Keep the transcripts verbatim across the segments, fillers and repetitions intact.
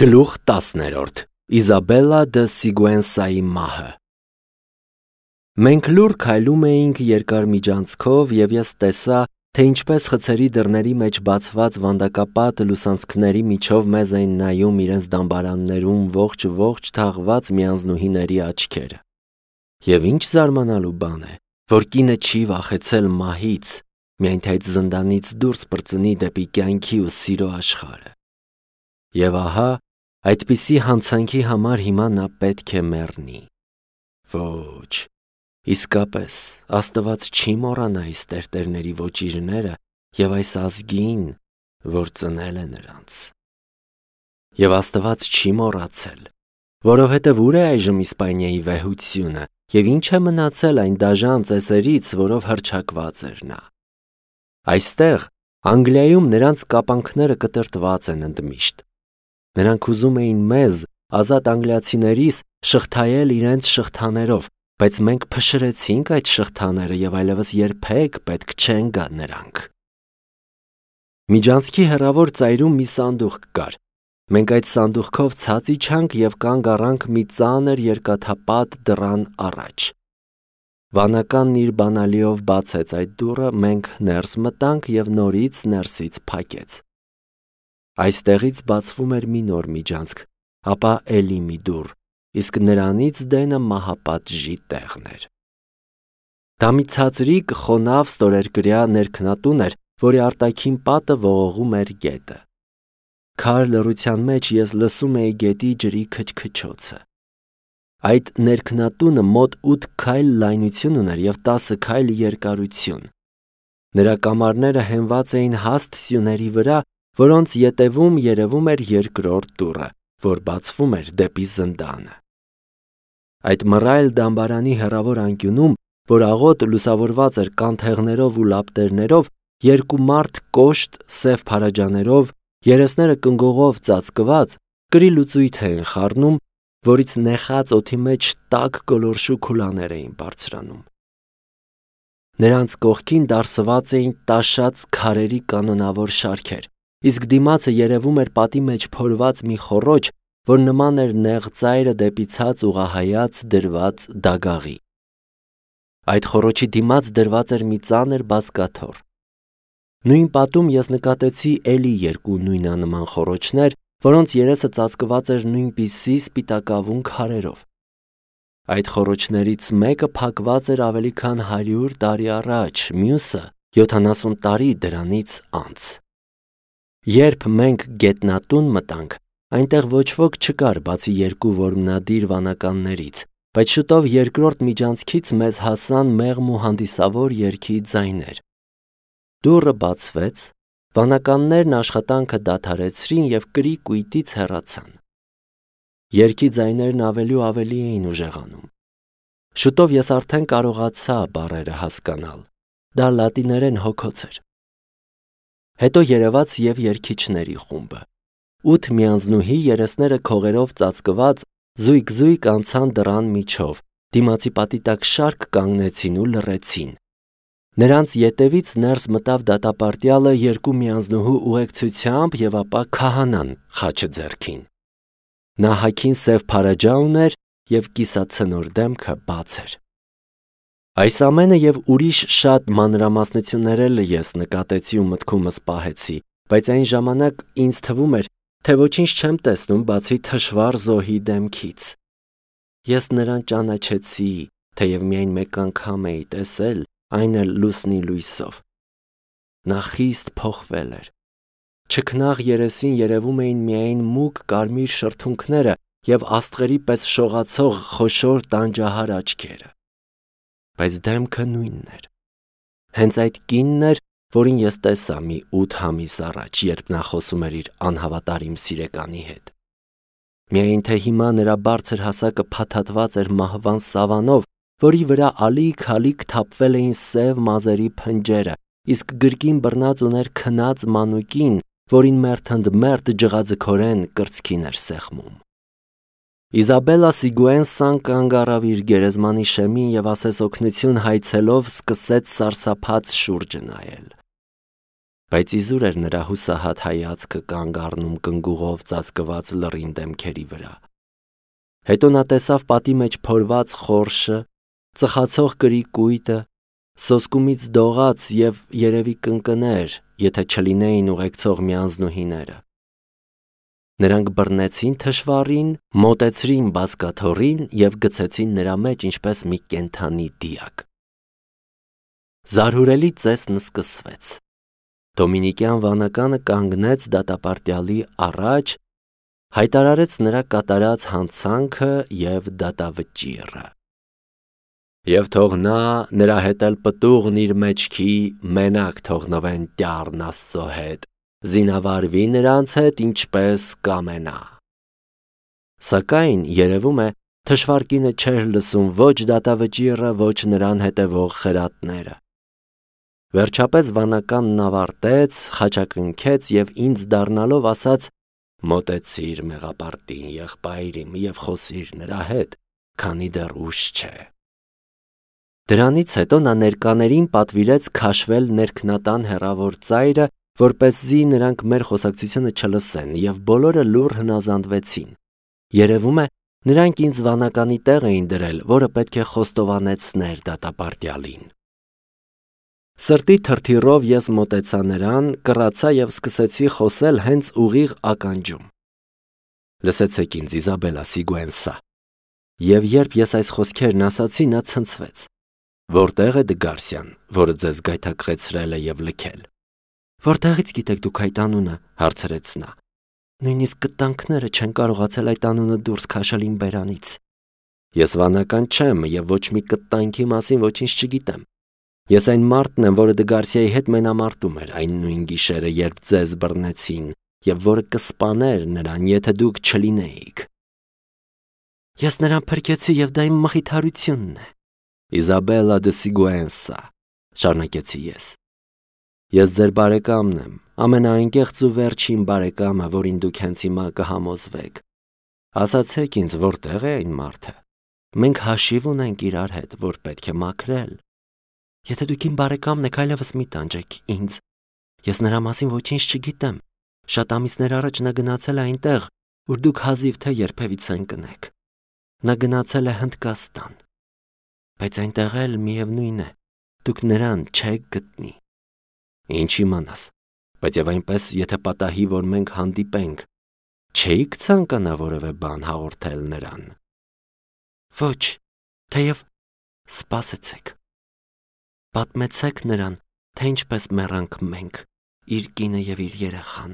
Գլուխ տասներորդ Իզաբելլա դը Սիգուենսայի մահը Մենք լուռ քայլում էինք երկար միջանցքով, և ես տեսա, թե ինչպես խցերի դռների մեջ բացված վանդակապատ լուսանցքների միջով մեզ էին նայում իրենց դամբարաններում ողջ-ողջ թաղված միանձնուհիների աչքերը։ Եվ ինչ զարմանալու բան է, որ կինը չի վախեցել մահից, միայն թե այդ զնդանից դուրս պրծնի դեպի կյանքի ու սիրո աշխարհը։ Եվ ահա, այդպիսի հանցանքի համար հիմա նա պետք է մեռնի։ Ոչ, իսկապես, Աստված չի մոռանա այս տերտերների ոճիրները և այս ազգին, որ ծնել է նրանց։ Եվ Աստված չի մոռացել, որովհետև ուր է այժմ Իսպանիայի վեհությունը, և ինչ է մնացել այն դաժան ծեսերից, որով հռչակված էր նա։ Այստեղ, Անգլիայում նրանց կապանքները կտրտված են ընդմիշտ։ Նրանք ուզում էին մեզ, ազատ անգլիացիներիս, շղթայել իրենց շղթաներով, բայց մենք փշրեցինք այդ շղթաները և այլևս երբեք պետք չեն գա նրանք։ Միջանցքի հեռավոր ծայրում մի սանդուղք կար։ Մենք այդ սանդուղքով ցած իջանք և կանգ առանք մի ծանր երկաթապատ դռան առաջ։ Վանականն իր բանալիով բացեց այդ դուռը, մենք ներս մտանք և նորից ներսից փակեց։ Այստեղից բացվում էր մի նոր միջանցք, ապա էլի մի դուռ, իսկ նրանից դենը մահապատժի տեղն էր։ Դա մի ցածրիկ, խոնավ ստորերկրյա ներքնատուն էր, որի արտաքին պատը ողողում էր գետը։ Քար լռության մեջ ես լսում էի գետի ջրի քչքչոցը։ Այդ ներքնատունը մոտ ութ քայլ լայնություն ուներ և տասը քայլ երկարություն։ Նրա կամարները հենված էին հաստ սյուների վրա, որոնց ետևում երևում էր երկրորդ դուռը, որ բացվում էր դեպի զնդանը։ Այդ մռայլ դամբարանի հեռավոր անկյունում, որ աղոտ լուսավորված էր կանթեղներով ու լապտերներով, երկու մարդ կոշտ, սև փարաջաներով, երեսները կնգուղով ծածկված, կրի լուծույթ էին խառնում, որից նեխած օդի մեջ տաք գոլորշու քուլաներ էին բարձրանում։ Նրանց կողքին դարսված էին տաշած քարերի կանոնավոր շարքեր, իսկ դիմացը երևում էր պատի մեջ փորված մի խոռոչ, որ նման էր նեղ ծայրը դեպի ցած ուղղահայաց դրված դագաղի։ Այդ խոռոչի դիմաց դրված էր մի ծանր բազկաթոռ։ Նույն պատում ես նկատեցի էլի երկու նույնանման խոռոչներ, որոնց երեսը ծածկված էր նույնպիսի սպիտակավուն քարերով։ Այդ խոռոչներից մեկը փակված էր ավելի քան հարյուր տարի առաջ, մյուսը յոթանասուն տարի դրանից անց։ Երբ մենք գետնատուն մտանք, այնտեղ ոչ ոք չկար, բացի երկու որմնադիր վանականներից, բայց շուտով երկրորդ միջանցքից մեզ հասան մեղմ ու հանդիսավոր երգի ձայներ։ Դուռը բացվեց, վանականներն աշխատանքը դադարեցրին և կրի-կույտից հեռացան։ Երգի ձայներն ավելի ու ավելի էին ուժեղանում։ Շուտով ես արդեն կարողացա բառերը հասկանալ։ Դա լատիներեն հոգոց էր։ Հետո երևաց և երգիչների խումբը։ Ութ միանձնուհի, երեսները քողերով ծածկված, զույգ-զույգ անցան դռան միջով, դիմացի պատի տակ շարք կանգնեցին ու լռեցին։ Նրանց ետևից ներս մտավ դատապարտյալը երկու միանձնուհու ուղեկցությամբ և ապա քահանան խաչը ձեռքին։ Նա հագին սև փարաջա ուներ և կիսացնոր դեմքը բաց էր։ Այս ամենը և ուրիշ շատ մանրամասնություններ էլ ես նկատեցի ու մտքումս պահեցի, բայց այն ժամանակ ինձ թվում էր, թե ոչինչ չեմ տեսնում, բացի թշվառ զոհի դեմքից։ Ես նրան ճանաչեցի, թեև միայն մեկ անգամ էի տեսել, այն էլ լուսնի լույսով։ Նա խիստ փոխվել էր։ Չքնաղ երեսին երևում էին միայն մուգ կարմիր շրթունքները և աստղերի պես շողացող խոշոր տանջահար աչքերը։ Բայց դեմքը նույնն էր։ Հենց այդ կինն էր, որին ես տեսա մի ութ ամիս առաջ, երբ նա խոսում էր իր անհավատարիմ սիրեկանի հետ։ Միայն թե հիմա նրա բարձր հասակը փաթաթված էր մահվան սավանով, որի վրա ալիք-ալիք թափվել էին սև մազերի փնջերը, իսկ գրկին բռնած ուներ քնած մանուկին, որին մերթ ընդ մերթ ջղաձգորեն կրծքին էր սեղմում։ Իզաբելլա Սիգուենսան կանգ առավ իր գերեզմանի շեմին և ասես օգնություն հայցելով սկսեց սարսափած շուրջը նայել։ բայց իզուր էր նրա հուսահատ հայացքը կանգ առնում կնգուղով ծածկված լռին դեմքերի վրա։ Հետո նա տեսավ պատի մեջ փորված խորշը, ծխացող կրի կույտը, սոսկումից դողաց և երևի կընկներ, եթե չլինեին ուղեկցող միանձնուհիները։ Նրանք բռնեցին թշվառին, մոտեցրին բազկաթոռին և գցեցին նրա մեջ ինչպես մի կենդանի դիակ։ Զարհուրելի ծեսն սկսվեց։ Դոմինիկյան վանականը կանգնեց դատապարտյալի առաջ, հայտարարեց նրա կատարած հանցանքը և դատավճիռը։ Եվ թող նա, նրա հետ էլ պտուղն իր մեջքի, մենակ թողնվեն տյառն Աստծո հետ, զինավարվի նրանց հետ, ինչպես կամենա։ Սակայն, երևում է, թշվառ կինը չէր լսում ոչ դատավճիռը, ոչ նրան հետևող խրատները։ Վերջապես վանականն ավարտեց, խաչակնքեց և ինձ դառնալով ասաց. «Մոտեցիր մեղապարտին, եղբայրիմ, և խոսիր նրա հետ, քանի դեռ ուշ չէ»։ Դրանից հետո նա ներկաներին պատվիրեց քաշվել ներքնատան հեռավոր ծայրը, որպեսզի նրանք մեր խոսակցությունը չլսեն, և բոլորը լուռ հնազանդվեցին։ Երևում է, նրանք ինձ վանականի տեղ էին դրել, որը պետք է խոստովանեցներ դատապարտյալին։ Սրտի թրթիռով ես մոտեցա նրան, կռացա և սկսեցի խոսել հենց ուղիղ ականջում. «Լսեցեք ինձ, Իզաբելլա Սիգուենսա»։ Եվ երբ ես այս խոսքերն ասացի, նա ցնցվեց. «Որտե՞ղ է Դգարսյան, որը ձեզ գայթակղեցրել է և լքել»։ «Որտեղից գիտեք դուք այդ անունը», հարցրեց նա։ «Նույնիսկ կտանքները չեն կարողացել այդ անունը դուրս քաշել իմ բերանից»։ «Ես վանական չեմ և ոչ մի կտանքի մասին ոչինչ չգիտեմ։ Ես այն մարդն եմ, որը Դգարսիայի հետ մենամարտում էր այն նույն գիշերը, երբ ձեզ բռնեցին, և որը կսպաներ նրան, եթե դուք չլինեիք»։ «Ես նրան փրկեցի, և դա իմ մխիթարությունն է»։ «Իզաբելլա դե Սիգուենսա», շարունակեցի ես։ «Ես ձեր բարեկամն եմ, ամենաանկեղծ ու վերջին բարեկամը, որին դուք հենց հիմա կհամոզվեք։ Ասացեք ինձ, որտե՞ղ է այն մարդը։ Մենք հաշիվ ունենք իրար հետ, որ պետք է մաքրել։ Եթե դուք իմ բարեկամն եք, այլևս մի տանջեք ինձ։ Ես նրա մասին ոչինչ չգիտեմ։ Շատ ամիսներ առաջ նա գնացել է այնտեղ, ուր դուք հազիվ թե երբևիցե ընկնեք։ Նա գնացել է Հնդկաստան։ Բայց այնտեղ էլ միևնույն է, դուք նրան չեք գտնի։ Ինչ իմանաս, բայց և այնպես, եթե պատահի, որ մենք հանդիպենք, չէիք ցանկանա որևէ բան հաղորդել նրան։ Ոչ, թեև սպասեցեք։ Պատմեցեք նրան, թե ինչպես մեռանք մենք, իր կինը և իր երեխան,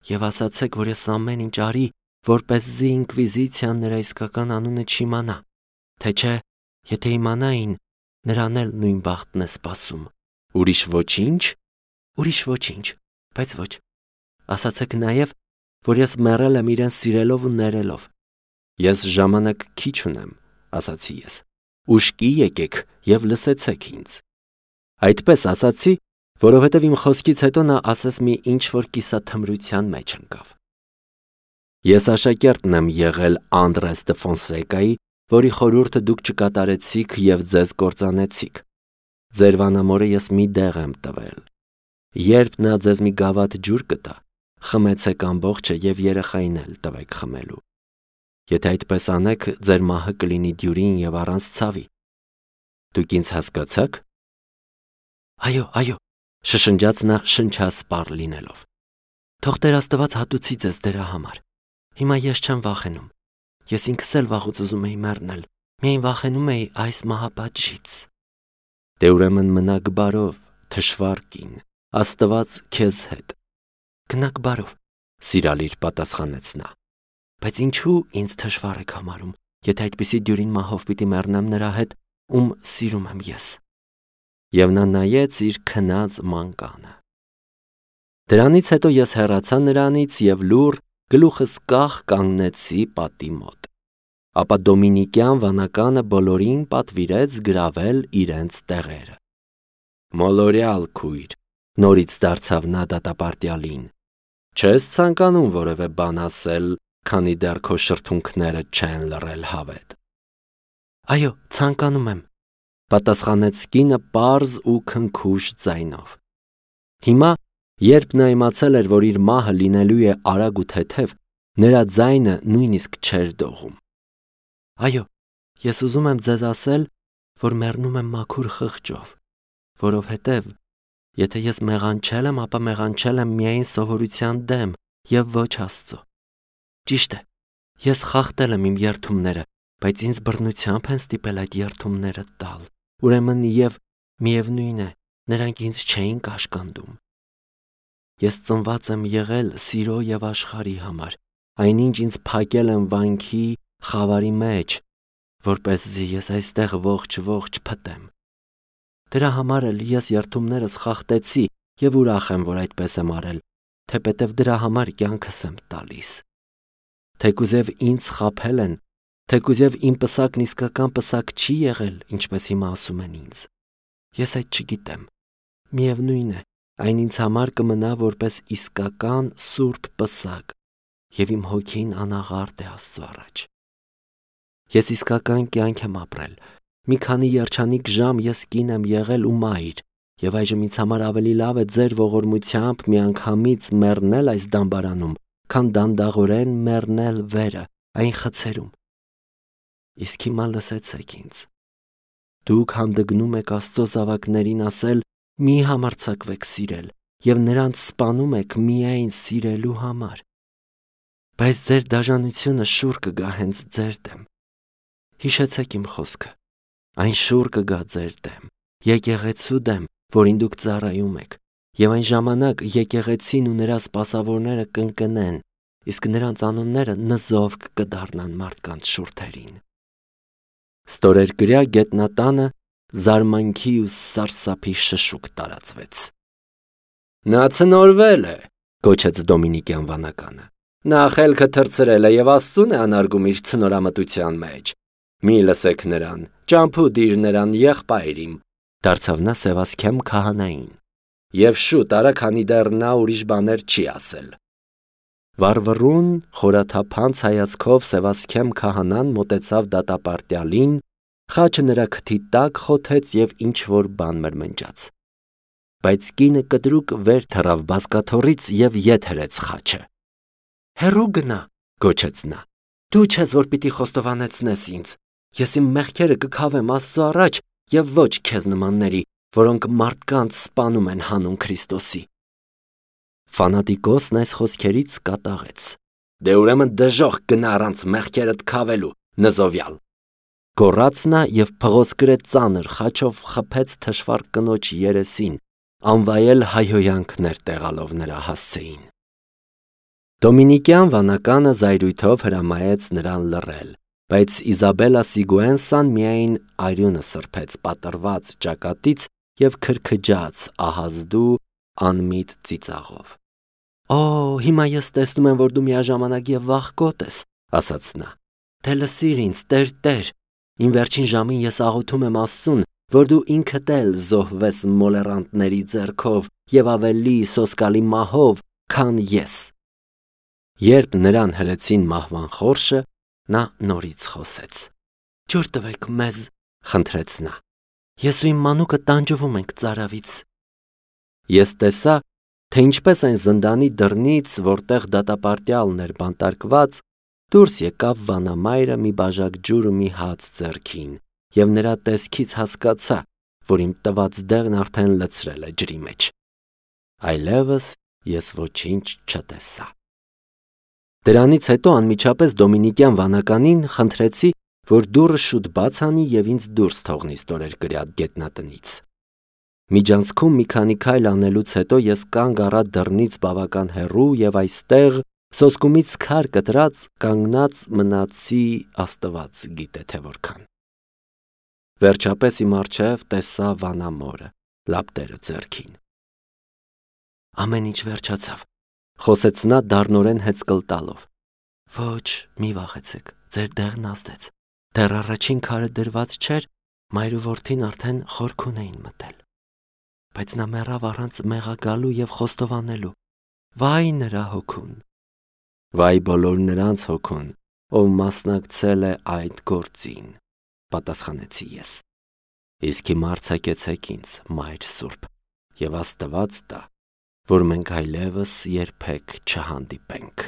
և ասացեք, որ ես ամեն ինչ արի, որպեսզի ինկվիզիցիան նրա իսկական անունը չիմանա, թե չէ, եթե իմանային, նրան էլ նույն բախտն է սպասում։ Ուրիշ ոչինչ։ Ուրիշ ոչինչ, բայց ոչ։ Ասացեք նաև, որ ես մեռել եմ իրեն սիրելով ու ներելով։ Ես ժամանակ քիչ ունեմ, ասացի ես։ Ուշքի եկեք և լսեցեք ինձ։ Այդպես ասացի, որովհետև իմ խոսքից հետո նա ասես մի ինչ-որ կիսաթմրության մեջ ընկավ։ Ես աշակերտն եմ եղել Անդրես դե Ֆոնսեկայի, որի խորհուրդը դուք չկատարեցիք և ձեզ կործանեցիք։ Ձեր վանամորը ես մի դեղ եմ տվել։ Երբ նա ձեզ մի գավաթ ջուր կտա, խմեցեք ամբողջը և երեխային էլ տվեք խմելու։ Եթե այդպես անեք, ձեր մահը կլինի դյուրին և առանց ցավի։ Դուք ինձ հասկացա՞ք։ Այո, այո, շշնջաց նա շնչասպառ լինելով։ Թող Տեր Աստված հատուցի ձեզ դրա համար։ Հիմա ես չեմ վախենում։ Ես ինքս էլ վաղուց ուզում էի մեռնել, միայն վախենում էի այս մահապատժից։ Դե ուրեմն մնաք բարով, թշվառ կին, Աստված քեզ հետ։ Գնաք բարով, սիրալիր, պատասխանեց նա։ Բայց ինչու ինձ թշվառ եք համարում, եթե այդպիսի դյուրին մահով պիտի մեռնեմ նրա հետ, ում սիրում եմ ես։ Եվ նա նայեց իր քնած մանկանը։ Դրանից հետո ես հեռացա նրանից և լուռ, գլուխս կախ կանգնեցի պատի մոտ։ Ապա դոմինիկյան վանականը բոլորին պատվիրեց գրավել իրենց տեղերը։ Մոլորյալ քույր, նորից դարձավ նա դատապարտյալին, չես ցանկանում որևէ բան ասել, քանի դեռ քո շրթունքները չեն լռել հավետ։ Այո, ցանկանում եմ, պատասխանեց կինը պարզ ու քնքուշ ձայնով։ Հիմա Երբ նա իմացել էր, որ իր մահը լինելու է արագ ու թեթև, նրա ձայնը նույնիսկ չէր դողում։ Այո, ես ուզում եմ ձեզ ասել, որ մեռնում եմ մաքուր խղճով, որովհետև եթե ես մեղանչել եմ, ապա մեղանչել եմ միայն սովորության դեմ և ոչ Աստծո։ Ճիշտ է, ես խախտել եմ իմ երդումները, բայց ինձ բռնությամբ են ստիպել այդ երդումները տալ։ Ուրեմն և միևնույն է, նրանք ինձ չէին կաշկանդում։ Ես ծնված եմ եղել սիրո և աշխարհի համար, այնինչ ինձ փակել են վանքի խավարի մեջ, որպեսզի ես այստեղ ողջ-ողջ փտեմ։ Դրա համար էլ ես երդումներս խախտեցի և ուրախ եմ, որ այդպես եմ արել, թեպետև դրա համար կյանքս եմ տալիս։ Թեկուզև ինձ խաբել են, թեկուզև իմ պսակն իսկական պսակ չի եղել, ինչպես հիմա ասում են ինձ։ Ես այդ չգիտեմ։ Միևնույն է, այն ինձ համար կմնա որպես իսկական սուրբ պսակ, և իմ հոգին անաղարտ է Աստծո առաջ։ Ես իսկական կյանք եմ ապրել։ Մի քանի երջանիկ ժամ ես կին եմ եղել ու մայր, և այժմ ինձ համար ավելի լավ է ձեր ողորմությամբ միանգամից մեռնել այս դամբարանում, քան դանդաղորեն մեռնել վերը, այն խցերում։ Իսկ հիմա լսեցեք ինձ։ Դուք հանդգնում եք Աստծո զավակներին ասել. «Մի համարձակվեք սիրել», և նրանց սպանում եք միայն սիրելու համար։ Բայց ձեր դաժանությունը շուռ կգա հենց ձեր դեմ։ Հիշեցեք իմ խոսքը։ Այն շուռ կգա ձեր դեմ, եկեղեցու դեմ, որին դուք ծառայում եք, և այն ժամանակ եկեղեցին ու նրա սպասավորները կընկնեն, իսկ նրանց անունները նզովք կդառնան մարդկանց շուրթերին։ Ստորերկրյա գետնատանը զարմանքի ու սարսափի շշուկ տարածվեց։ «Նա ցնորվել է», գոչեց Դոմինիկյան վանականը։ «Նա խելքը թռցրել է և Աստծուն է անարգում իր ցնորամտության մեջ։ Մի լսեք նրան, ճամփու դիր նրան եղբայր իմ», դարձավ նա Սևասքեմ քահանային, «և շուտ արա, քանի դեռ նա ուրիշ բաներ չի ասել»։ Վառվռուն, խորաթափանց հայացքով Սևասքեմ քահանան մոտեցավ դատապարտյալին, խաչը նրա քթի տակ խոթեց և ինչ-որ բան մրմնջաց։ Բայց կինը կտրուկ վեր թռավ բազկաթոռից և ետ հրեց խաչը։ «Հեռու գնա», գոչեց նա, «դու չես, որ պիտի խոստովանեցնես ինձ։ Ես իմ մեղքերը կքավեմ Աստծո առաջ և ոչ քեզ նմանների, որոնք մարդկանց սպանում են հանուն Քրիստոսի»։ Ֆանատիկոսն այս խոսքերից կատաղեց։ «Դե ուրեմն դժոխք գնա առանց մեղքերդ քավելու, նզովյալ», գոռաց նա և փղոցկրե ծանր խաչով խփեց թշվառ կնոջ երեսին, անվայել հայհոյանքներ տեղալով նրա հասցեին։ Դոմինիկյան վանականը զայրույթով հրամայեց նրան լռել, բայց Իզաբելլա Սիգուենսան միայն արյունը սրբեց պատռված ճակատից և քրքջաց ահազդու անմիտ ծիծաղով։ «Օ, հիմա ես տեսնում եմ, որ դու միաժամանակ և վախկոտ ես», ասաց նա։ «Դե լսիր ինձ, Տեր, իմ վերջին ժամին ես աղոթում եմ Աստծուն, որ դու ինքդ էլ զոհվես մոլեռանդների ձեռքով և ավելի սոսկալի մահով, քան ես»։ Երբ նրան հրեցին մահվան խորշը, նա նորից խոսեց։ «Ջուր տվեք մեզ», խնդրեց նա։ «Ես ու իմ մանուկը տանջվում ենք ծարավից»։ Ես տեսա, թե ինչպես այն զնդանի դռնից, որտեղ դատապարտյալն էր բանտարկված, դուրս եկավ վանամայրը մի բաժակ ջուր ու մի հաց ձեռքին, և նրա տեսքից հասկացա, որ իմ տված դեղն արդեն լցրել է ջրի մեջ։ Այլևս ես ոչինչ չտեսա։ Դրանից հետո անմիջապես Դոմինիկյան վանականին խնդրեցի, որ դուռը շուտ բաց անի և ինձ դուրս թողնի ստորերկրյա գետնատնից։ Միջանցքում մի քանի քայլ անելուց հետո ես կանգ առա դռնից բավական հեռու և այստեղ, սոսկումից քար կտրած, կանգնած մնացի Աստված գիտե թե որքան։ Վերջապես իմ առջև տեսա վանամորը, լապտերը ձեռքին։ «Ամեն ինչ վերջացավ», խոսեց նա դառնորեն հեծկլ տալով։ «Ոչ, մի վախեցեք, ձեր դեղն ազդեց։ Դեռ առաջին քարը դրված չէր, մայր ու որդին արդեն խորքուն էին մտել։ Բայց նա մեռավ առանց մեղագալու և խոստովանելու։ Վայ նրա հոգուն»։ «Վայ բոլոր նրանց հոգուն, ով մասնակցել է այդ գործին», պատասխանեցի ես։ «Իսկ հիմա արձակեցեք ինձ, Մայր Սուրբ, և Աստված տա, որ մենք այլևս երբեք չհանդիպենք։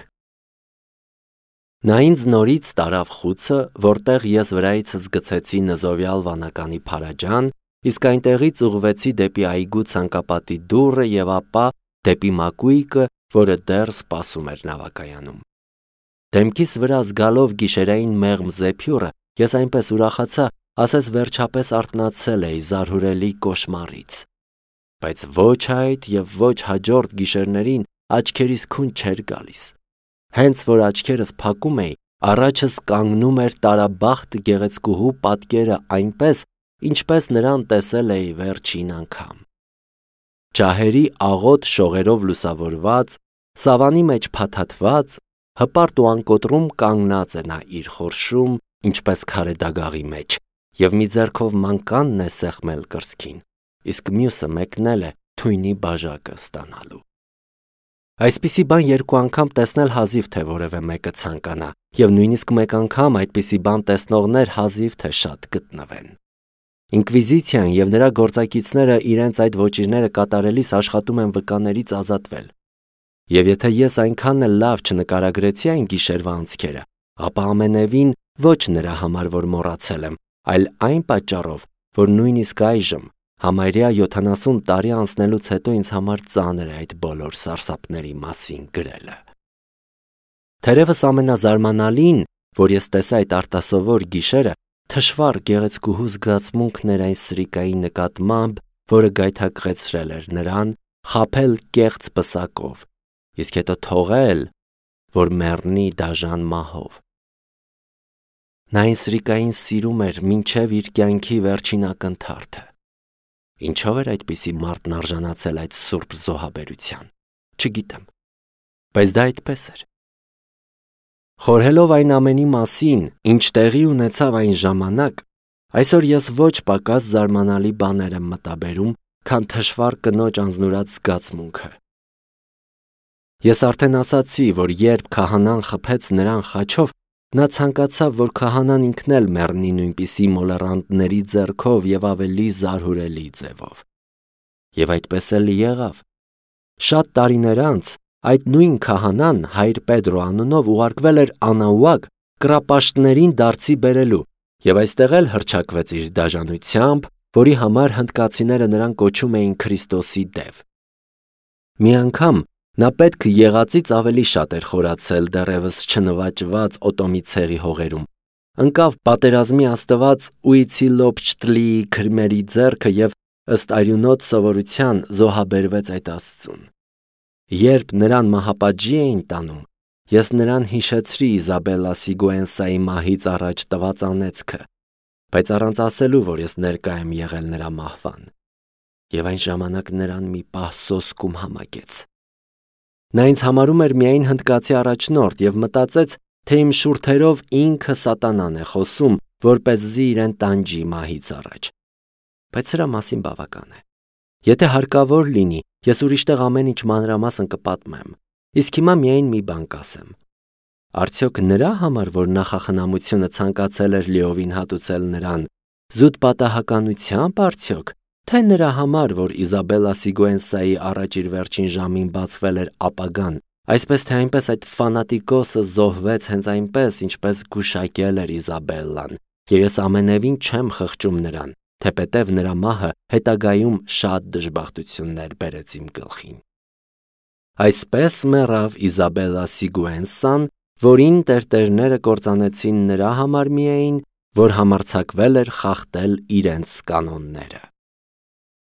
Նա ինձ նորից տարավ խուցը, որտեղ ես վրայիցս գցեցի նզովյալ վանականի փարաջան, իսկ այնտեղից ուղղվեցի դեպի այգու ցանկապատի դուռը եւ ապա դեպի մակույկը, որը դեռ սպասում էր նավակայանում։ Դեմքիս վրա զգալով գիշերային մեղմ զեփյուռը, ես այնպես ուրախացա, ասես վերջապես արթնացել էի զարհուրելի կոշմարից։ Բայց ոչ այդ եւ ոչ հաջորդ գիշերներին աչքերիս քուն չէր գալիս։ Հենց որ աչքերս փակում էի, առաջս կանգնում էր տարաբախտ գեղեցկուհու պատկերը այնպես, ինչպես նրան տեսել էի վերջին անգամ։ Ջահերի աղոտ շողերով լուսավորված, սավանի մեջ փաթաթված, հպարտ ու անկոտրում կանգնած է նա իր խորշում, ինչպես քարե դագաղի մեջ, եւ մի ձեռքով մանկանն է սեղմել կրծքին, իսկ մյուսը մեկնել է թույնի բաժակը ստանալու։ Այսպիսի բան երկու անգամ տեսնել հազիվ թե որևէ մեկը ցանկանա, եւ նույնիսկ մեկ անգամ այդպիսի բան տեսնողներ հազիվ թե շատ գտնվեն։ Ինկվիզիցիան եւ նրա գործակիցները իրենց այդ ոճիրները կատարելիս աշխատում են վկաներից ազատվել։ Եվ եթե ես այնքան էլ լավ չնկարագրեցի այն գիշերվա անցքերը, ապա ամենևին ոչ նրա համար, որ մոռացել եմ, այլ այն պատճառով, որ նույնիսկ այժմ, համարյա յոթանասուն տարի անցնելուց հետո ինձ համար ծանր է այդ բոլոր սարսափների մասին գրելը։ Թերևս ամենազարմանալին, որ ես տեսա այդ արտասովոր գիշերը, թշվառ գեղեցկուհու զգացմունքն էր այն սրիկայի նկատմամբ, որը գայթակղեցրել էր նրան, խաբել կեղծ պսակով, իսկ հետո թողել, որ մեռնի դաժան մահով։ Նա այն սրիկային սիրում էր մինչև իր կյանքի վերջին ակնթարթը։ Ինչով էր այդպիսի մարդն արժանացել այդ սուրբ զոհաբերության, չգիտեմ, բայց դա այդպես էր։ Խորհելով այն ամենի մասին, ինչ տեղի ունեցավ այն ժամանակ, այսօր ես ոչ պակաս զարմանալի բաներ եմ մտաբերում, քան թշվառ կնոջ անձնուրաց զգացմունքը։ Ես արդեն ասացի, որ երբ քահանան խփեց նրան խաչով, նա ցանկացավ, որ քահանան ինքն էլ մեռնի նույնպիսի մոլեռանդների ձեռքով եւ ավելի զարհուրելի ձևով։ Եվ այդպես էլ եղավ։ Շատ տարիներ անց այդ նույն քահանան հայր Պետրո անունով ուղարկվել էր Անաուակ կռապաշտներին դարձի բերելու եւ այստեղ էլ հռչակվեց իր դաժանությամբ, որի համար հնդկացիները նրան կոչում էին Քրիստոսի դև։ Մի անգամ նա պետք եղածից ավելի շատ էր խորացել դեռևս չնվաճված օտոմի ցեղի հողերում, ընկավ պատերազմի աստված Ուիցիլոփչտլիի քրմերի ձեռքը եւ ըստ արյունոտ սովորության զոհաբերվեց այդ աստծուն։ Երբ նրան մահապատժի էին տանում, ես նրան հիշեցրի Իզաբելլա Սիգուենսայի մահից առաջ տված անեծքը, բայց առանց ասելու, որ ես ներկա եմ եղել նրա մահվան, եւ այն ժամանակ նրան մի պահ սոսկում համակեց։ Նա ինձ համարում էր միայն հնդկացի առաջնորդ եւ մտածեց, թե իմ շուրթերով ինքը սատանան է խոսում, որպեսզի իրեն տանջի մահից առաջ։ Բայց սրա մասին բավական է։ Եթե հարկավոր լինի, ես ուրիշտեղ ամեն ինչ մանրամասն կպատմեմ, իսկ հիմա միայն մի բան կասեմ։ Արդյոք նրա համար, որ նախախնամությունը ցանկացել էր լիովին հատուցել նրան, զուտ պատահականությամբ արդյոք, թե նրա համար, որ Իզաբելլա Սիգուենսայի առաջ իր վերջին ժամին բացվել էր ապագան, այսպես թե այնպես այդ ֆանատիկոսը զոհվեց հենց այնպես, ինչպես գուշակել էր Իզաբելլան, եւ ես ամենևին չեմ խղճում նրան, թեպետև նրա մահը հետագայում շատ դժբախտություններ բերեց իմ գլխին։ Այսպես մեռավ Իզաբելլա Սիգուենսան, որին տերտերները կործանեցին նրա համար միայն, որ համարձակվել էր խախտել իրենց կանոնները։